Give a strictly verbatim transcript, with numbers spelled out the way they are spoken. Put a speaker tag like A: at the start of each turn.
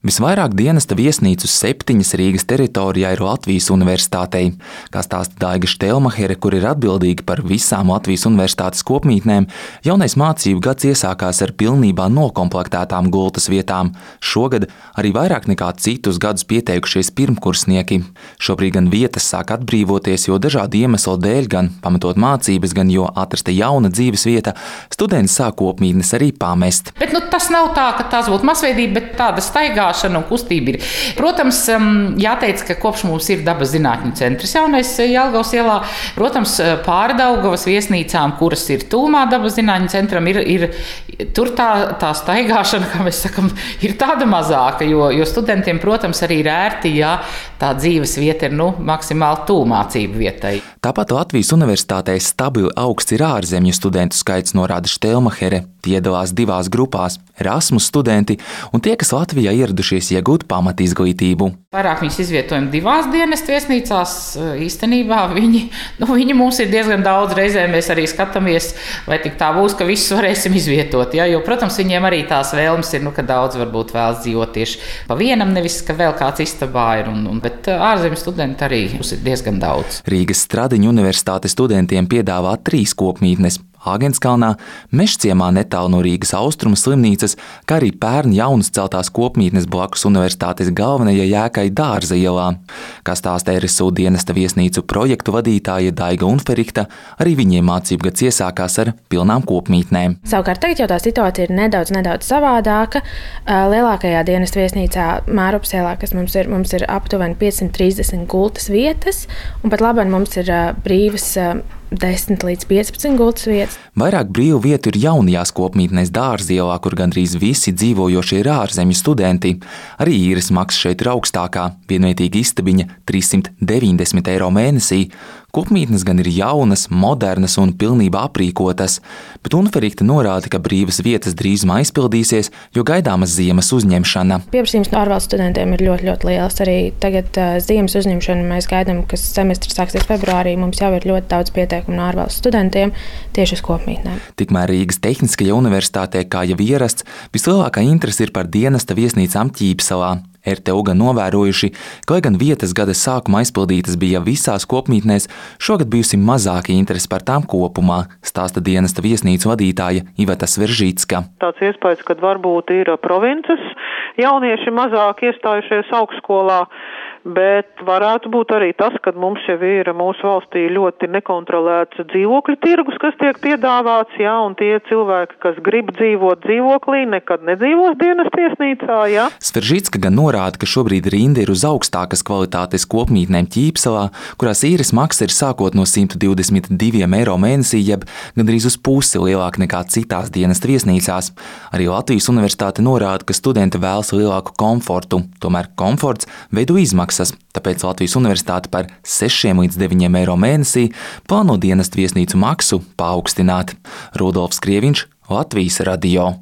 A: Visvairāk dienesta viesnīcu septiņas Rīgas teritorijā ir Latvijas Universitātei. Kā stāsta Daiga Štelmahere, kur ir atbildīga par visām Latvijas Universitātes kopmītnēm, jaunais mācību gads iesākās ar pilnībā nokomplektētām gultas vietām. Šogad arī vairāk nekā citus gadus pieteikušies pirmkursnieki. Šobrīd gan vietas sāk atbrīvoties, jo dažādu iemeslu dēļ, gan pamatot mācības, gan jo atrasta jauna dzīves vieta, studenti sāk kopmītnes arī pamest.
B: Bet nu, tas nav tā, ka tās būtu masveidība, bet tāda staigāšana un kustība ir. Protams, jāteic, ka kopš mums ir dabas zinātņu centrs jaunais Jelgavas ielā, protams, pāri Daugavas viesnīcām, kuras ir tūmā dabas zinātņu centram, ir, ir tur tā, tā staigāšana, kā mēs sakam, ir tāda mazāka, jo, jo studentiem, protams, arī ir ērti, ja tā dzīves vieta ir, nu, maksimāli tūmācību vietai.
A: Tāpat Latvijas Universitātē stabili augsts ir ārzemju studentu skaits, norāda Štelmahere. Tie iedalās divās grupās – Erasmus studenti un tie, kas Latvijā ieradušies iegūt pamatizglītību.
B: Vairāk viņus izvietojam divās dienestu viesnīcās. Īstenībā viņi, nu, viņi mums ir diezgan daudz. Reizē mēs arī skatāmies, vai tik tā būs, ka visus varēsim izvietot. Ja? Jo, protams, viņiem arī tās vēlmes ir, nu, ka daudz varbūt vēlas dzīvot tieši pa vienam, nevis, ka vēl kāds istabā ir. Un, un, bet ārzemju studenti arī mums ir diezgan daudz.
A: Rīgas Stradiņu universitātes studentiem piedāvā trīs kopmītnes. Āgenskalnā, Mežciemā netālu no Rīgas Austrumu slimnīcas, kā arī pērn jaunas celtās kopmītnes blakus universitātes galvenajai ēkai Dārza ielā. Kā stāsta R S U dienesta viesnīcu projektu vadītāja Daiga Unferikta, arī viņiem mācību gads iesākās ar pilnām kopmītnēm.
C: Savukārt tagad jau tā situācija ir nedaudz, nedaudz savādāka. Lielākajā dienesta viesnīcā Mārupas ielā, kas mums ir, mums ir aptuveni piecsimt trīsdesmit gultas vietas, un pat labāk mums ir brīvas desmit līdz piecpadsmit gultas vietas.
A: Vairāk brīvu vietu ir jaunajās kopmītnēs Dārza ielā, kur gandrīz visi dzīvojošie ir ārzemju studenti. Arī īres maksa šeit ir augstākā, vienvietīga istabiņa trīssimt deviņdesmit eiro mēnesī. Kopmītnes gan ir jaunas, modernas un pilnībā aprīkotas, bet Unferikta norāda, ka brīvas vietas drīzumā aizpildīsies, jo gaidāmas ziemas uzņemšana.
C: Pieprasījums no ārvalstu studentiem ir ļoti, ļoti liels. Arī tagad uh, ziemas uzņemšana mēs gaidām, kas semestris sāksies februārī. Mums jau ir ļoti daudz pieteikumu no ārvalstu studentiem tieši uz kopmītnēm.
A: Tikmēr Rīgas Tehniskajā universitātē, kā jau ierasts, vislielākā interese ir par dienesta viesnīcām Ķīpsalā. R T U gan novērojuši, ka, lai gan vietas gada sākuma aizpildītas bija visās kopmītnēs, šogad bijusi mazāka interese par tām kopumā, stāsta dienesta viesnīcu vadītāja Iveta Sveržīcka.
D: Tāds iespējas, kad varbūt ir provinces jaunieši mazāk iestājušies augstskolā, bet varētu būt arī tas, ka mums jau ir mūsu valstī ļoti nekontrolēts dzīvokļu tirgus, kas tiek piedāvāts, jā, un tie cilvēki, kas grib dzīvot dzīvoklī, nekad nedzīvos dienesta viesnīcā, jā.
A: Sveržīcka gan norāda, ka šobrīd rinda ir uz augstākas kvalitātes kopmītnēm Ķīpsalā, kurās īres maksa ir sākot no simt divdesmit diviem eiro mēnesī, jeb gandrīz uz pusi lielāka nekā citās dienesta viesnīcās. Arī Latvijas Universitāte norāda, ka studenti vēlas lielāku komfortu, tomēr komforts veido izmaksas. Tāpēc Latvijas Universitāte par sešiem līdz deviņiem eiro mēnesī plāno dienesta viesnīcu maksu paaugstināt. Rudolfs Krieviņš, Latvijas radio.